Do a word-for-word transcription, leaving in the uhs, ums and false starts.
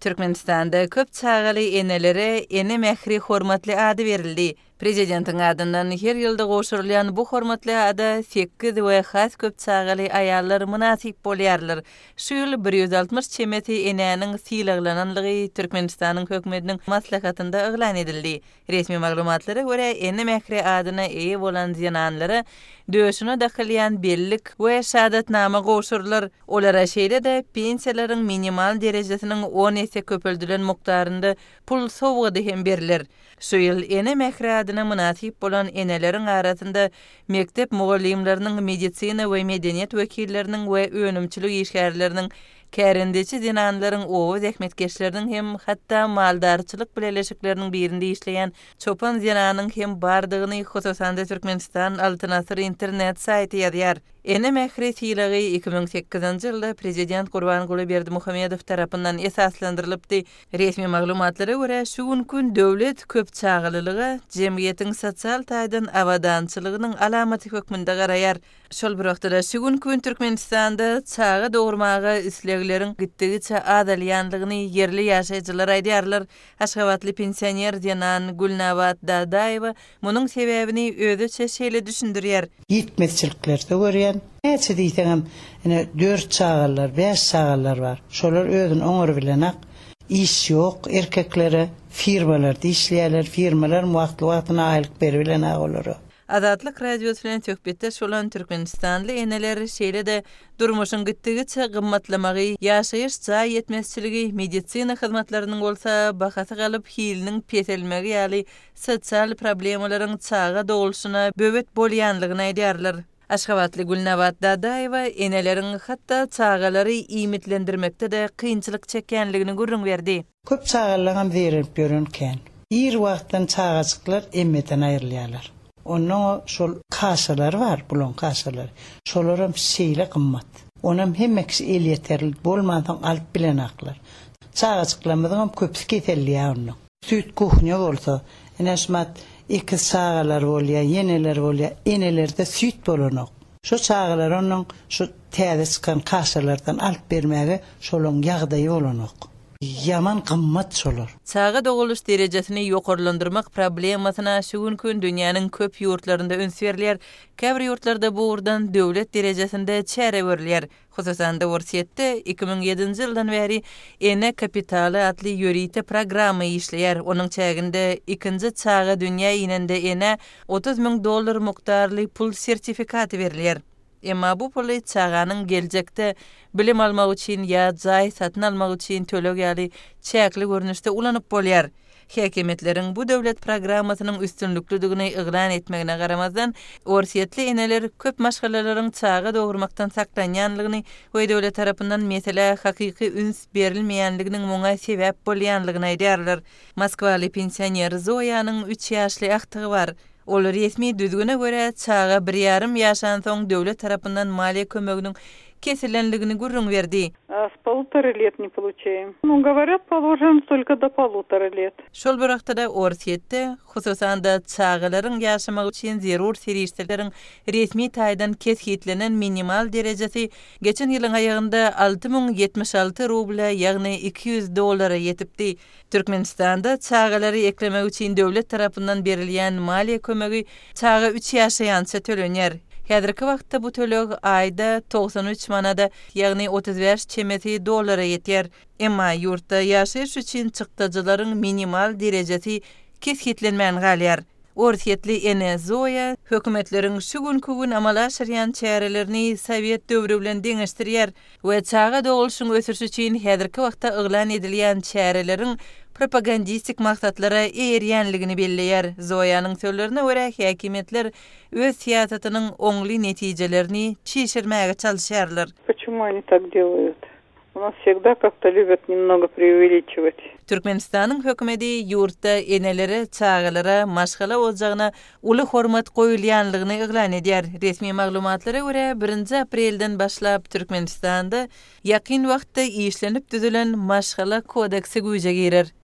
Türkmenistanda köp çagaly enelere Ene mähri hormatly ady berildi. Prezidentiň adyndan her ýylda gowşurylýan bu hormatly ada sekiz we has köp çagaly aýallar mynasyp bolýarlar. Şu ýyl bir ýüz altmyş çemesi enäniň sylaglananlygy Türkmenistanyň hökümetiniň maslahatynda yglan edildi. Resmi maglumatlara görä, Ene mähri adyna eýe bolan zenanlara döşüne dakylýan bellik we şahadatnama gowşurylar. Olara şeýle-de pensiýalaryň minimal derejesiniň on esse köpeldilen mukdarynda pul sowgady hem beriler. Şu ýyl Ene mähri adyna mynasyp bolan eneleriň arasynda mekdep mugallymlarynyň, medisina we medeniýet wekilleriniň we önümçilik işgärleriniň, kärendeçi zenanlaryň, oba zähmetkeşleriniň hem hatda maldarçylyk bileleşikleriniň birinde işleýän çopan zenanyň hem bardygyny hususan-da Türkmenistan Altyn Asyr internet saýty ýazýar. Ene mähri sylagy iki müň sekizinji ýylda prezident Gurbanguly Berdimuhamedow tarapyndan esaslandyrylypdy. Resmi maglumatlara görä, şu günki gün döwlet köp çagalylyga jemgyýetiň sosial taýdan abadançylygynyň alamaty hökmünde garaýar. Şol bir wagtda-da şu günki gün Türkmenistanda çaga dogurmaga islegleriň gitdigiçe azalýandygyny ýerli ýaşaýjylar aýdýarlar. Aşgabatly pensioner zenan Gülnabat Dadaýewa munuň sebäbini özüçe şeýle düşündirýär. Ýetmezçiliklerde görýän. Näçe diýseňem, ine dört çagalar, bäş çagalar bar. Şolar özüni oňar bilenak. Iş ýok erkeklere, firmalarda işleýärler, firmalar wagtly-wagtyna aýlyk beribilenak olara. Azatlyk Radiosy bilen söhbetdeş bolan türkmenistanly eneler şeýle-de durmuşyň gitdigiçe gymmatlamagy, ýaşaýyş jaý ýetmezçiligi, medisina hyzmatlarynyň bolsa bahasy galyp hiliniň peselmegi ýaly sosial problemalaryň çaga dogulşyna böwet bolýanlygyny aýdýarlar. Aşgabatly Gülnabat Dadaýewa eneleriň hatda çagalary iýmitlendirmekde-de kynçylyk çekýänligini gürrüň berdi. Köp çagalaryň zeýrenip ýören kän. Ir wagtdan çagajyklar emmeden aýrylýarlar. Ondan şol kaşalar bar, bulan kaşalar. Şolaram şeýle gymmat. Onam hemme kişi el ýeterli bolmansoň alyp bilen aklar. Çagajyklarymyzyň köpüsi keselliýär ondan. Süýt kuhnýa bolsa, ine şumat ikiz çagalar bolýar, ýeneler bolýar, enelerde süýt bolanok. Şu çagalar ondan şu täze çykan kaşalardan alyp bermäge şolaň ýagdaýy bolanok. Ýaman gymmat şolar. Çaga doguluş derejesini ýokarlandyrmak problemasyna şu günki gün dünýäniň köp ýurtlarynda üns berilýär. Käbir ýurtlarda bu ugurdan döwlet derejesinde çäre görülýär. Hususan-da Orsýetde iki müň ýedinji ýyldan bäri Ene kapitaly atly ýörite programma işleýär. Onuň çäginde ikinji çaga dünýä inende ene otuz müň dollar mukdarly pul sertifikaty berilýär. Emma bu puly çaganyň geljekde bilim almak üçin ýa jaý satyn almak üçin töleg ýaly çäkli görnüşde ulanyp bolýar. Häkimiýetleriň bu döwlet programmasynyň üstünliklidigini yglan etmegine garamazdan, Orsýetli eneler köp maşgalalaryň çaga dogurmakdan saklanýanlygyny we döwlet tarapyndan meselä hakyky üns berilmeýänliginiň muňa sebäp bolýanlygyny aýdýarlar. Moskwaly pensioner Zoýanyň üç ýaşly agtygy bar. Ol resmi düzgüne görä çaga bir ýarym ýaşansoň döwlet tarapyndan maliýe kömeginiň kesilenligini gürrüň berdi. А с полутора лет не получаем. Ну, говорят, положим только до полутора лет. Şol bir wagtda Orsýetde, hususan-da çagalaryň ýaşamagy üçin zerur serişdeleriň resmi taýdan kesgitlenen minimal derejesi geçen ýylyň aýagynda alty müň ýetmiş alty rubla, ýagny iki ýüz dollara ýetipdi. Türkmenistanda çagalary eklemek üçin döwlet tarapyndan berilýän maliýe kömegi çaga üç ýaşaýança tölenýär. Häzirki wagtda bu töleg aýda togsan üç manada, ýagny otuz bäş çemesi dollara ýetýär. Emma ýurtda ýaşaýyş üçin çykdajylaryň minimal derejesi kesgitlenmän galýar. Orsýetli ene Zoýa hökümetleriň şu günki gün amala aşyrýan çärelerini Sowet döwri bilen deňeşdirýär we çaga dogulşyň ösüşi üçin häzirki wagtda yglan edilýän çäreleriň propagandistik maksatlara eýerýänligini belleýär. Zoýanyň sözlerine görä häkimiýetler öz syýasatynyň oňly netijelerini çişirmäge çalyşýarlar. Почему они так делают? У нас всегда как-то любят немного преувеличивать. Türkmenistanyň hökümeti ýurtda enelere, çagalara, maşgala ojagyna uly hormat goýulýanlygyny yglan edýär. Resmi maglumatlara görä birinji aprelden başlap Türkmenistanda ýakyn wagtda işlenip düzülen maşgala kodeksi güýje girer.